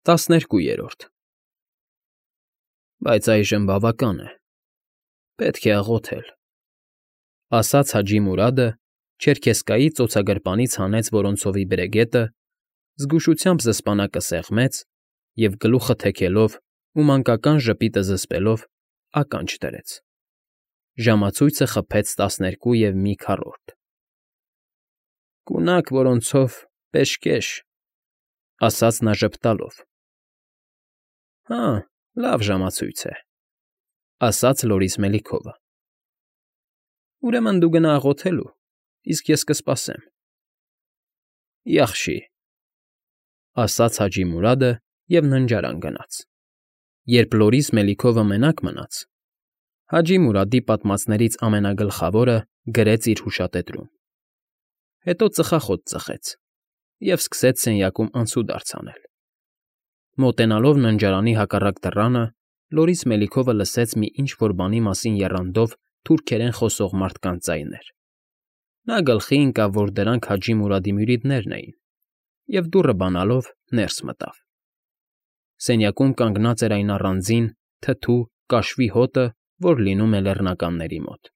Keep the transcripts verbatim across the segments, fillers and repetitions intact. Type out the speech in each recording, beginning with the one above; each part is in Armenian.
ՏԱՍՆԵՐԿՈՒԵՐՈՐԴ Բայց այժմ բավական է, պետք է աղոթել, ֊ ասաց Հաջի Մուրադը, չերքեզկայի ծոցագրպանից հանեց ոռնցովի բրեգետը, զգուշությամբ զսպանակը սեղմեց և, գլուխը թեքելով ու մանկական ժպիտը զսպելով, ականջ դրեց. ժամացույցը խփեց տասներկու և մի քառորդ։ ֊ Կունակ որոնցով պեշկեշ, ֊ ասաց նա ժպտալով։ ֊ Հա, լավ ժամացույց է, ֊ ասաց Լորիս Մելիքովը։ ֊ Ուրեմն դու գնա աղոթելու, իսկ ես կսպասեմ։ ֊ Յախշի, ֊ ասաց Հաջի Մուրադը և ննջարան գնաց։ Երբ Լորիս Մելիքովը մենակ մնաց, Հաջի Մուրադի պատմածներից ամենագլխավորը գրեց իր հուշատետրում, հետո ծխախոտ ծխեց և սկսեց սենյակում անցուդարձ անել։ Մոտենալով ննջարանի հակառակ դռանը՝ Լորիս Մելիքովը լսեց մի ինչ֊որ բանի մասին եռանդով թուրքերեն խոսող մարդկանց ձայներ։ Նա գլխի ընկավ, որ դրանք Հաջի Մուրադի մյուրիդներն էին, և դուռը բանալով ներս մտավ։ Սենյակում կանգնած էր այն առանձին, թթու, կաշվի հոտը, որ լինում է լեռնականների մոտ։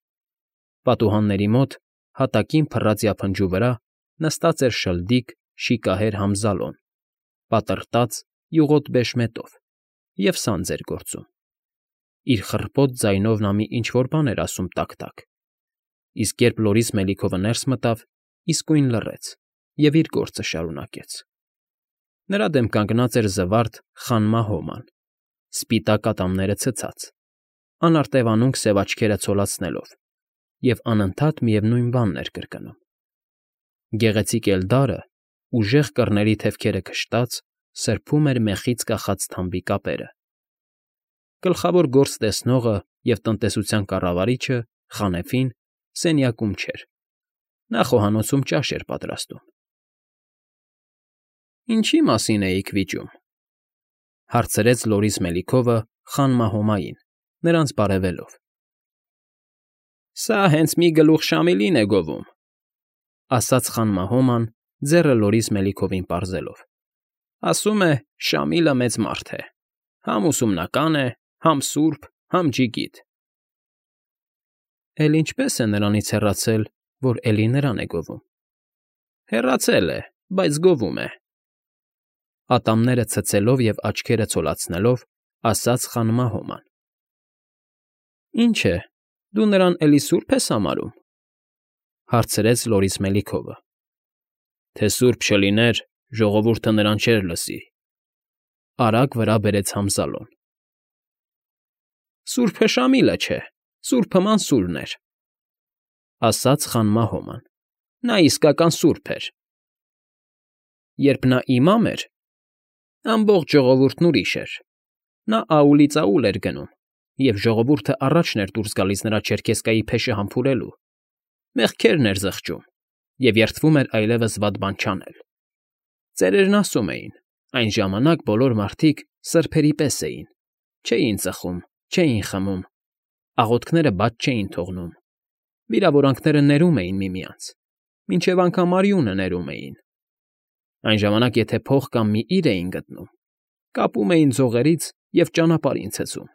Պատուհանների մոտ, հատակին փռած յափնջու վրա, նստած էր շլդիկ, շիկահեր Համզալոն, պատռտած, յուղոտ բեշմետով, և սանձ էր գործում։ Իր խռպոտ ձայնով նա մի ինչ֊որ բան էր ասում տակ֊տակ, իսկ երբ Լորիս Մելիքովը ներս մտավ, իսկույն լռեց և իր գործը շարունակեց։ Նրա դեմ կանգնած էր զվարթ Խան Մահոման, սպիտակ ատամները ցցած, անարտևանունք սև աչքերը ցոլացնելով, և անընդհատ միևնույն բանն էր կրկնում։ Գեղեցիկ էլդարը, ուժեղ կռների թևքերը քշտած, սրբում էր մեխից կախած թամբի կապերը։ Գլխավոր գործ տեսնողը և տնտեսության կառավարիչը՝ Խանեֆին, սենյակում չէր, նա խոհանոցում ճաշ էր պատրաստում։ ֊ Ինչի՞ մասին էիք վիճում, ֊ հարցրեց Լորիս Մելիքովը Խան Մահոմային, նրանց բարևելով։ ֊ Սա հենց մի գլուխ շամիլին է գովում, ֊ ասաց Խան Մահոման, ձեռը Լորիս Մելիքովին պարզելով։ ֊ Ասում է՝ Շամիլը մեծ մարդ է, համ ուսումնական է, համ սուրբ, համ ջիգիտ։ ֊ Էլ ինչպե՞ս է նրանից հեռացել, որ էլի նրան է գովում։ ֊ Հեռացել է, բայց գովում է, ֊ ատամները ցցելով և աչքերը ցոլացնելով, ասաց Խան Մահոման։ ֊ Ինչ է, դու նրան էլի սուրբ ես համարում, ֊ հարցրեց Լորիս Մելիքովը։ ֊ Թե սուրբ չլիներ, ժողովուրդը նրան չէր լսի, ֊ արագ վրա բերեց Համզալոն։ ֊ Սուրբը Շամիլը չէ, սուրբը Մանսուրն էր, ֊ ասաց Խան Մահոման։ ֊ Նա իսկական սուրբ էր։ Երբ նա իմամ էր, ամբողջ ժողովուրդն ուրիշ էր, նա աուլից աուլ էր գնում, և ժողովուրդը առաջն էր դուրս գալիս նրա չերքեզկայի փեշը համբուրելու, մեղքերն էր զղջում և երդվում էր այլևս վատ բան չանել։ Ծերերն ասում էին. այն ժամանակ բոլոր մարդիկ սրբերի պես էին, չէին ծխում, չէին խմում, աղոթքները բաց չէին թողնում, վիրավորանքները ներում էին միմյանց, մինչև անգամ արյունը ներում էին։ Այն ժամանակ եթե փող կամ մի իր էին գտնում, կապում էին ձողերից և ճանապարհին ցցում։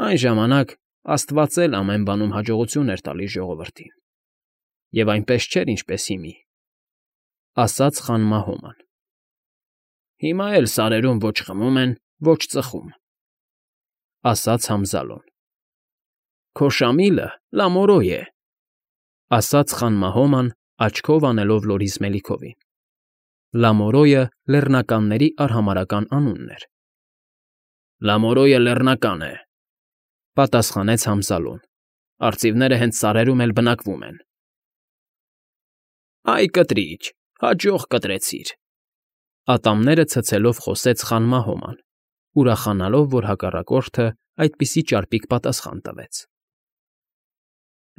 Այն ժամանակ Աստված էլ ամեն բանում հաջողություն էր տալիս ժողովրդին, և այնպես չէր, ինչպես հիմի, ֊ ասաց Խան Մահոման։ ֊ Հիմա էլ սարերում ոչ խմում են, ոչ ծխում, ֊ ասաց Համզալոն։ ֊ Քո Շամիլը լամորո է, ֊ ասաց Խան Մահոման, աչքով անելով Լորիս Մելիքովին։ Լամորոյը լեռնականների արհամարհական անունն էր։ ֊ Լամորոյը լեռնական է, ֊ պատասխանեց Համզալոն։ ֊ Արծիվները հենց սարերում էլ բնակվում են։ ֊ Այ կտրիչ, հաջող կտրեցիր, ֊ ատամները ցցելով խոսեց Խան Մահոման, ուրախանալով, որ հակառակորդը այդպիսի ճարպիկ պատասխան տվեց։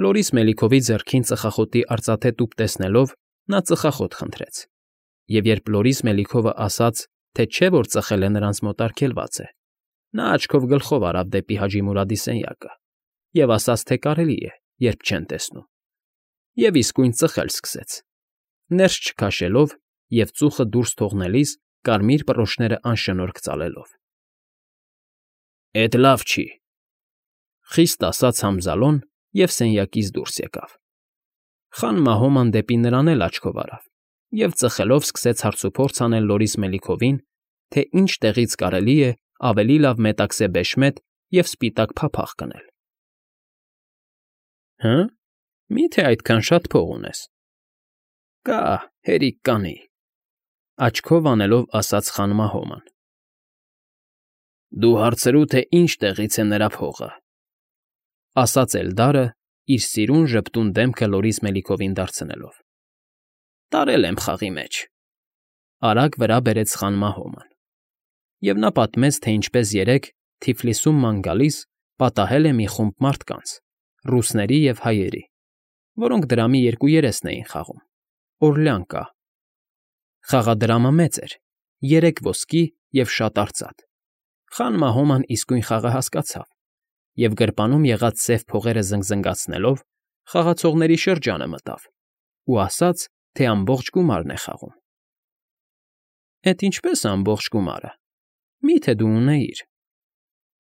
Լորիս Մելիքովի ձեռքին ծխախոտի արծաթե տուփ տեսնելով՝ նա ծխախոտ խնդրեց, և երբ Լորիս Մելիքովը ասաց, թե չէ որ ծխել է նրանց մոտ արգելված է, նա աչքով գլխով արավ դեպի Հաջի Մուրադի սենյակը և ասաց, թե կարելի է, երբ չեն տեսնում, և իսկույն ծխել սկսեց, ներս չքաշելով և ծուխը դուրս թողնելիս կարմիր պռոշները անշնորհք ծալելով։ ֊ Էդ լավ չի,֊ խիստ ասաց Համզալոն և սենյակից դուրս եկավ։ Խան Մահոման դեպի նրան էլ աչքով արավ և ծխելով սկսեց հարցուփորձ անել Լորիս Մելիքովին, թե ինչ տեղից կարելի է ավելի լավ մետաքսե բեշմետ և սպիտակ փափախ գնել։ ֊ Հը՞, մի՞թե այդքան շատ փող ունես։ ֊ Կա, հերիք կանի,֊ աչքով անելով ասաց խան Մահոման։ ֊ Դու հարցրու, թե ինչ տեղից է նրա փողը,֊ ասաց Էլդարը, իր սիրուն ժպտուն դեմքը Լորիս Մելիքովին դարձնելով։ ֊ Տարել եմ խաղի մեջ,֊ արագ վրա բերեց խան Մահոման, և նա պատմեց, թե ինչպես երեկ Թիֆլիսում ման գալիս պատահել է մի խումբ մարդկանց՝ ռուսների և հայերի, որոնք դրամի երկու երեսն էին խաղում, օրլյանկա. խաղադրամը մեծ էր, երեք ոսկի և շատ արծաթ։ Խան Մահոման իսկույն խաղը հասկացավ և գրպանում եղած սև փողերը զնգզնգացնելով խաղացողների շրջանը մտավ ու ասաց, թե ամբողջ գումարն է խաղում։ ֊ Էդ ինչպե՞ս ամբողջ գումարը, մի՞թե դու ունեիր,֊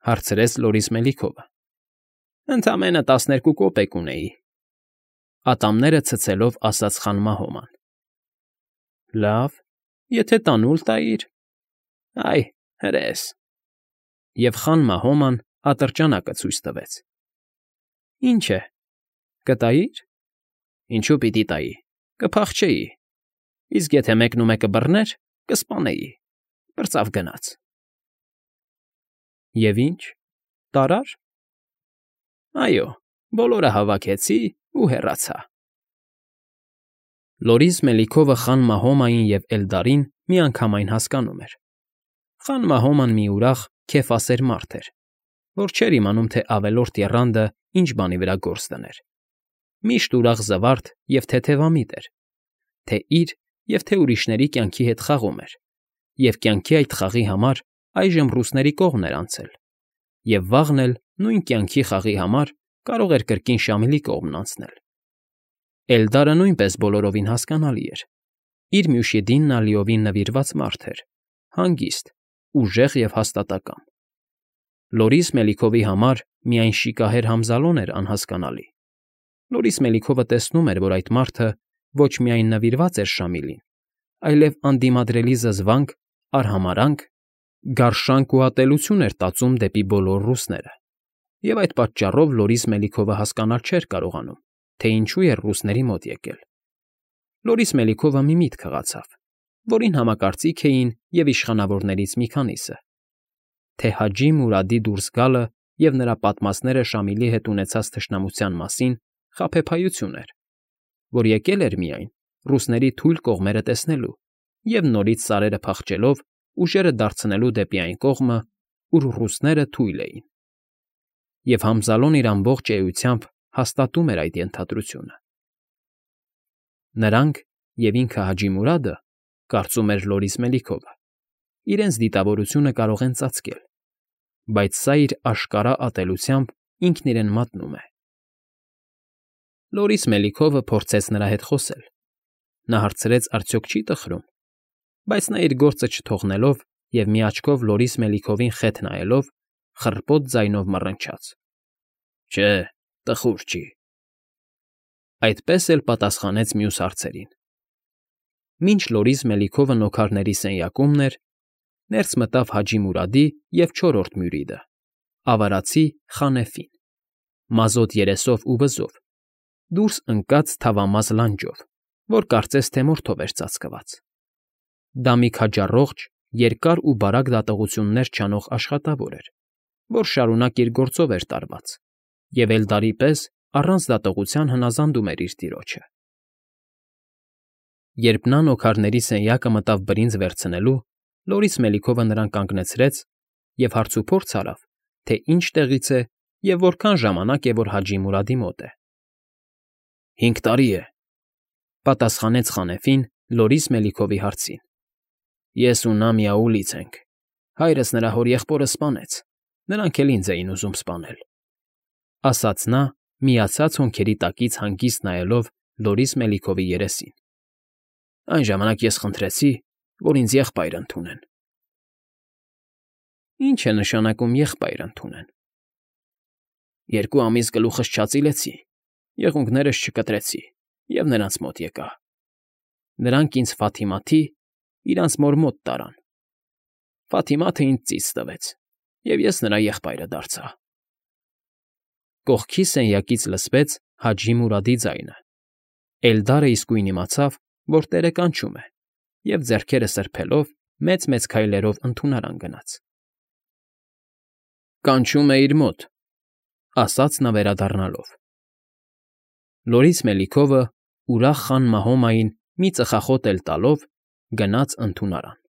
հարցրեց Լորիս Մելիքովը։ ֊ Ընդամենը տասներկու կոպեկ ունեի,֊ ատամները ցցելով ասաց խան Մահոման։ ֊ Լավ, եթե տանուլ տայիր։ ֊ Այ, հրես…֊ Եվ խան Մահոման ատրճանակը ցույց տվեց։ ֊ Ինչ է, կտայի՞ր։ ֊ Ինչու պիտի տայի, կփախչեի, իսկ եթե մեկնումեկը բռներ, կսպանեի, պրծավ գնաց։ ֊ Եվ ինչ, տարա՞ր։ ֊ Այո, բոլորը հավաքեցի ու հեռացա։ Լորիս Մելիքովը խան Մահոմային և Էլդարին միանգամայն հասկանում էր։ Խան Մահոման մի ուրախ, քեֆասեր մարդ էր, որ չէր իմանում, թե ավելորդ եռանդը ինչ բանի վրա գործ դներ։ Միշտ ուրախ զվարթ և թեթևամիտ էր, թե՛ իր և թե՛ ուրիշների կյանքի հետ խաղում էր, և կյանքի այդ խաղի համար այժմ ռուսների կողմն էր անցել, և վաղն էլ նույն կյանքի խաղի համար կարող էր կրկին Շամիլի կողմն անցնել։ Էլդարը նույնպես բոլորովին հասկանալի էր. իր Մյուշիդին նա լիովին նվիրված մարդ էր, հանգիստ, ուժեղ և հաստատակամ։ Լորիս Մելիքովի համար միայն շիկահեր Համզալոն էր անհասկանալի։ Լորիս Մելիքովը տեսնում էր, որ այդ մարդը ոչ միայն նվիրված էր Շամիլին, այլև անդիմադրելի զզվանք, արհամարհանք, գարշանք ու ատելություն էր տածում դեպի բոլոր ռուսները, և այդ պատճառով Լորիս Մելիքովը հասկանալ չէր կարողանում, թե ինչու էր ռուսների մոտ եկել։ Լորիս Մելիքովը մի միտք հղացավ, որին համակարծիք էին և իշխանավորներից մի քանիսը, թե Հաջի Մուրադի դուրս գալը և նրա պատմածները Շամիլի հետ ունեցած թշնամության մասին խաբեբայություն էր, որ եկել էր միայն ռուսների թույլ կողմերը տեսնելու և նորից սարերը փախչելով ուժերը դարձնելու դեպի այն կողմը, ուր ռուսները թույլ էին։ Եվ Համզալոն իր ամբողջ էությամբ հաստատում էր այդ ենթադրությունը։ Նրանք և ինքը Հաջի Մուրադը, կարծում էր Լորիս Մելիքովը, իրենց դիտավորությունը կարող են ծածկել, բայց սա իր աշկարա ատելությամբ ինքն իրեն մատնում է։ Լորիս Մելիքովը փորձեց նրա հետ խոսել։ Նա հարցրեց արդյոք չի տխրում, բայց նա իր գործը չթողնելով և մի աչքով Լորիս Մելիքովին խեթ նայելով, խռպոտ ձայնով մռնչաց. ֊ Չէ, տխուր չի։ Այդպես էլ պատասխանեց մյուս հարցերին։ Մինչ Լորիս Մելիքովը նոքարների սենյակումն էր, ներս մտավ Հաջի Մուրադի և չորրորդ մյուրիդը՝ ավարածի Խանեֆին, մազոտ երեսով ու վզով, դուրս ընկած թավամաս լանջով, որ կարծես թե մորթով էր ծածկված։ Դա մի քաջառողջ, երկար ու բարակ դատողություններ չանող աշխատավոր էր, որ շարունակ իր գործով էր տարված և Էլդարի պես առանց դատողության հնազանդում էր իր տիրոջը։ Երբ նա նոքարների սենյակը մտավ բրինձ վերցնելու, Լորիս Մելիքովը նրան կանգնեցրեց և հարցուփորձ արավ, թե ինչ տեղից է և որքան ժամանակ է, որ Հաջի Մուրադի մոտ է։ ֊ Հինգ տարի է,֊ պատասխանեց Խանեֆին Լորիս Մելիքովի հարցին։ ֊ Ես ու նա միաուլից ենք, հայրս նրա հորեղբորը սպանեց, նրանք էլ ինձ էին ուզում սպանել,֊ ասաց նա, միացած հոնքերի տակից հանգիստ նայելով Լորիս Մելիքովի երեսին։ Այն ժամանակ ես խնդրեցի, որ ինձ եղբայր ընդունեն։ Ինչ է նշանակում եղբայր ընդունեն։ Երկու ամիս գլուխս չածիլեցի, եղունգներս չկտրեցի և նրանց մոտ եկա։ Նրանք ինձ Ֆաթիմաթի, իրանց մոր մոտ տարան։ Ֆաթիմաթը ինձ ծիծ տվեց, և ես նրա եղբայրը դարձա։ Կողքի սենյակից լսվեց Հաջի Մուրադի ձայնը։ Էլդարը իսկույն իմացավ, որ տերը կանչում է, և ձեռքերը սրբելով մեծ֊մեծ քայլերով ընդունարան գնաց։ «Կանչում է իր մոտ,֊ ասաց նա վերադառնալով։ Լորից Մելիքովը ուրախ խան Մահոմային մի ծխախոտ էլ տալով գնաց ընդունարան։